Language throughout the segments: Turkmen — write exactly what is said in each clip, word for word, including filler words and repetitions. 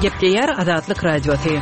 Gepleýär Azatlyk Radiosy.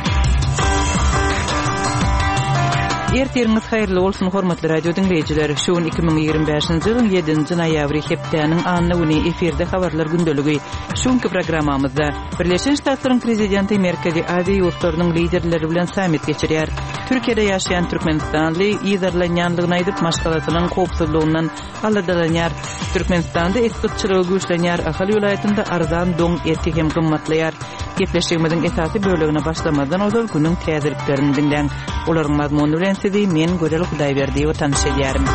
Ertiriňiz haýyrly bolsun, hormatly radio diňleýjiler! Şu gün iki müň ýigrimi bäşinji ýylyň ýedinji noýabry, hepdäniň anna güni, efirde habarlar gündeligi. Şu günki programmamyzda Birleşen Ştatlaryň Prezidenti Merkezi Aziýa ýurtlarynyň liderleri bilen sammit geçirýär. Türkiýede ýaşaýan türkmenistanly yzarlanýanlygyny aýdyp, maşgalasynyň howpsuzlygyndan aladalanýar. Türkmenistanda et gytçylygy güýçlenýär, Ahal welaýatynda arzan doň eti hem gymmatlaýar. Gepleşigimiziň esasy bölegine başlamazdan ozal günüň täzeliklerini diňläň. Olaryň mazmuny bilen sizi men Gözel Hudaýberdiýewa tanyş edýärin.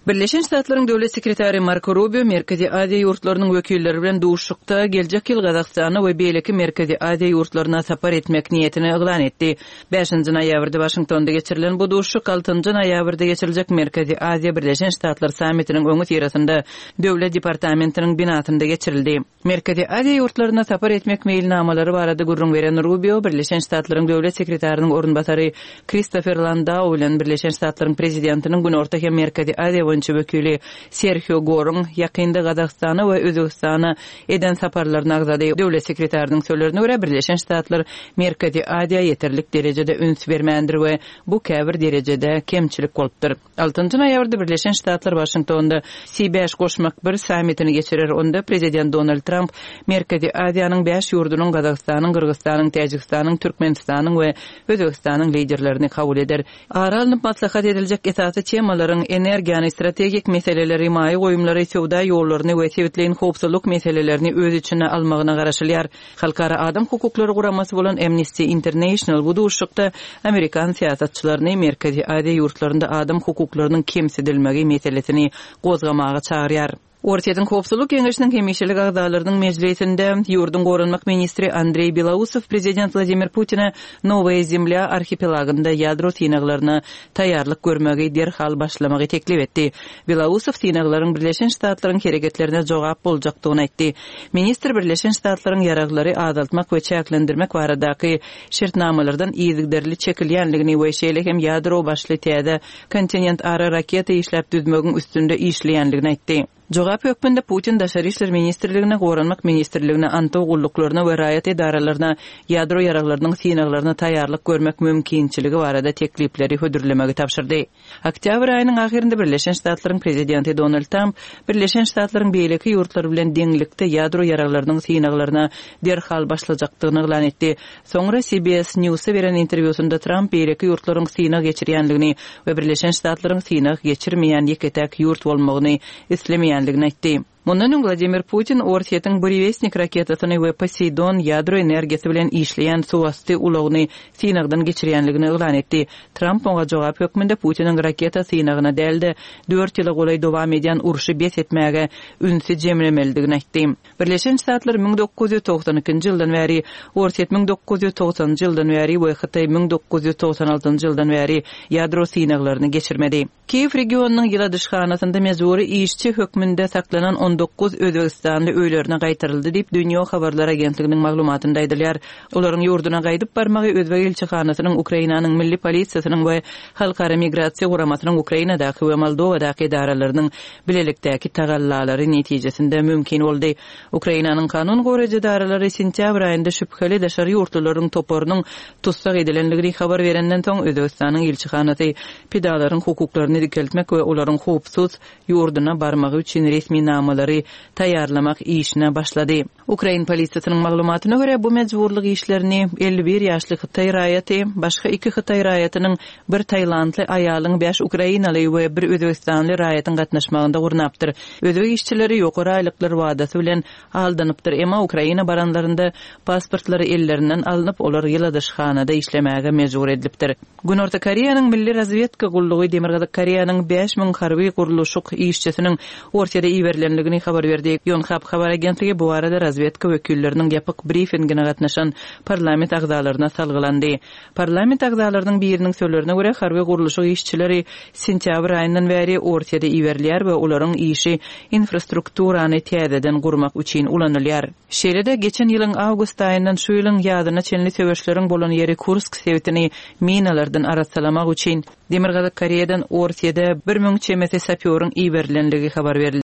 Birleşen Ştatlaryň Döwlet sekretary Marko Rubio Merkezi Aziýa ýurtlarynyň wekilleri bilen duşuşykda geljek ýyl Gazagystana we beýleki Merkezi Aziýa ýurtlaryna sapar etmek niýetini yglan etdi. Bäşinji noýabrda Waşingtonda geçirilen bu duşuşyk altynjy noýabrda geçiriljek Merkezi Aziýa-Birleşen Ştatlar sammitiniň öňüsyrasynda Döwlet departamentiniň binasynda geçirildi. Merkezi Aziýa ýurtlaryna sapar etmek meýilnamalary barada gürrüň beren Rubio Birleşen Ştatlaryň Döwlet sekretarynyň orunbasary Kristofer Landau bilen Birleşen Ştatlaryň Prezidentiniň Günorta hem Merkezi Aziýa boýunça wekili Serhio Goruň ýakynda Gazagystana we Özbegistana eden saparlaryny agzady. Döwlet sekretarynyň sözlerine görä, Birleşen Ştatlar Merkezi Aziýa ýeterlik derejede üns bermändir we bu käbir derejede kemçilik bolupdyr. Altynjy noýabrda Birleşen Ştatlar Waşingtonda C bäş goşmak bir sammitini geçirer, onda prezident Donald Tramp Merkezi Aziýanyň bäş ýurdunyň Gazagystanyň, Gyrgyzystanyň, Täjigistanyň, Türkmenistanyň we Özbegistanyň liderlerini kabul eder. Ara alnyp maslahat ediljek esasy temalaryň energiýany, strategik meseleleri, maýa goýumlary, söwda ýollaryny we sebitleýin howpsuzlyk meselelerini öz içine almagyna garaşylýar. Halkara adam hukuklary guramasy bolan Amnesty International bu duşuşykda amerikan syýasatçylaryny Merkezi Aziýa ýurtlarynda adam hukuklarynyň kemsidilmegi meselesini gozgamaga çagyrýar. Orsýetiň Howpsuzlyk Geňeşiniň hemişelik agzalarynyň mejlisinde ýurduň goranmak ministri Andreý Belausow prezident Wladimir Putine Nowaýa Zemlýa arhipelagynda ýadro synaglaryna taýýarlyk görmegi derhal başlamagy teklip etdi. Belausow synaglaryň Birleşen Ştatlaryň hereketlerine jogap boljakdygyny aýtdy. Ministr Birleşen Ştatlaryň ýaraglary azaltmak we çäklendirmek baradaky şertnamalardan yzygiderli çekilýänligini we şeýle hem ýadro başly täze kontinentara raketa işläp düzmegiň üstünde işleýänligini aýtdy. Jogap hökmünde Putin Daşary işler ministrligine, Goranmak ministrligine, Antow gulluklaryna we raýat edaralaryna ýadro ýaraglarynyň synaglaryna taýýarlyk görmek mümkinçiligi barada teklipleri hödürlemegi tabşyrdy. Oktýabr aýynyň ahyrynda Birleşen Ştatlaryň prezidenti Donald Tramp Birleşen Ştatlaryň beýleki ýurtlar bilen deňlikde ýadro ýaraglarynyň synaglaryna derhal başlajakdygyny yglan etdi. Soňra C B S News-a beren interwýusynda Tramp beýleki ýurtlaryň synag geçirýänligini we Birleşen Ştatlaryň synag geçirmeýän ýeke-täk ýurt bolmagyny islemeýänligini aýtdy. Mundan öň Wladimir Putin Orsýetiň Burewestnik raketasyny we Poseidon ýadro energiýasy bilen işleýän suwasty ulagyny synagdan geçirýänligini yglan etdi. Tramp oňa jogap hökmünde Putiniň raketa synagyna däl-de dört ýyla golaý dowam edýän urşy bes etmäge ünsi jemlemelidigini aýtdy. Birleşen Ştatlar müň dokuz ýüz togsan ikinji ýyldan bäri, Orsýet müň dokuz ýüz togsanynjy ýyldan bäri we Hytaý müň dokuz ýüz togsan altynjy ýyldan bäri ýadro synaglaryny geçirmedi. Kiýew regionynyň ýyladyşhanasynda mejbury işçi hökmünde saklanan on dokuz Özbegistanly öýlerine gaýtaryldy diýip Dünýä habarlar agentliginiň maglumatynda aýdylýar. Olaryň ýurduna gaýdyp barmagy Özbek elçihanasynyň, Ukrainanyň milli polisiýasynyň we Halkara migrasiýa guramasynyň Ukrainadaky we Moldowadaky edaralarynyň bilelikdäki tagallalary netijesinde mümkin boldy. Ukrainanyň kanun goraýjy edaralary sentýabr aýynda şübheli daşary ýurtlularyň toparynyň tussag edilenligini habar berenden soň Özbegistanyň elçihanasy pidalaryň hukuklaryny dikeltmek we olaryň howpsuz ýurduna barmagy üçin resminamalary taýýarlamak işine başlady. Ukrain polisiýasynyň maglumatyna görä bu mejburlyk işlerini elli bir ýaşly Hytaý raýaty, başga iki Hytaý raýatynyň bir Tailandly aýalyň bäş Ukrainaly we bir Özbegistanly raýatyň gatnaşmagynda gurnapdyr. Özbek işçileri ýokary aýlyklar wadasy bilen aldanypdyr. Emma Ukraina baranlarynda pasportlary ellerinden alnyp, olar ýyladyşhanada işlemäge mejbur edilipdir. Günorta Koreýanyň Milli Razvedka gullugy Demirgazyk Koreýanyň bäş müň harby gurluşyk işçisiniň Orsýede iberilenligini habar berdi. Yonhap habar agentligi bu arada razvedka wekilleriniň ýapyk briefingine gatnaşan parlament agzalaryna salgylandy. Parlament agzalarynyň biriniň sözlerine görä harby gurluşyk işçileri sentýabr aýyndan bäri Orsýede iberilýär we olaryň işi infrastrukturany täzeden gurmak üçin ulanylýar. Şeýle-de geçen ýylyň awgust aýyndan şu ýylyň ýazyna çenli söweşleriň bolan ýeri Kursk sebitini minalardan arassalamak üçin Demirgazyk Koreýadan Orsýede bir müň çemesi sapýoryň iberilenligi habar berildi.